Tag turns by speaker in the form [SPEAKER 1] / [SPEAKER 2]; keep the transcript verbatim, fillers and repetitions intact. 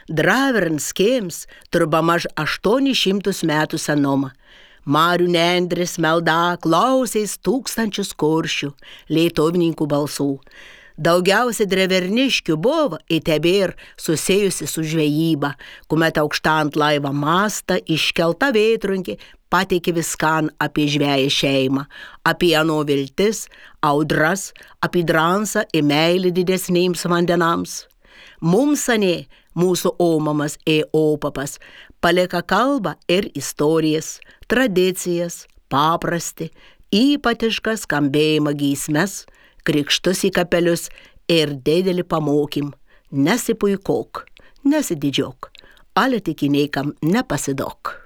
[SPEAKER 1] Dravernskems turba maž aštuonis šimtus metų senoma. Marių nendris melda klausiais tūkstančius kuršių, lietuvininkų balsų. Daugiausia dreverniškių buvo įtebėr susijusi su žvejyba, kuomet aukštant laivą mastą iškelta vėtrunkė pateikė viskan apie žveją šeimą, apie ano viltis, audras, apie dransą ir meilį didesnėms vandenams. Mums anė, mūsų omamas e opapas, palieka kalbą ir istorijas, tradicijas, paprasti, ypatišką skambėjimą giesmes, krikštus į kapelius ir didelį pamokym. Nesipuikok, nesididžiok, ale tik niekam nepasidok.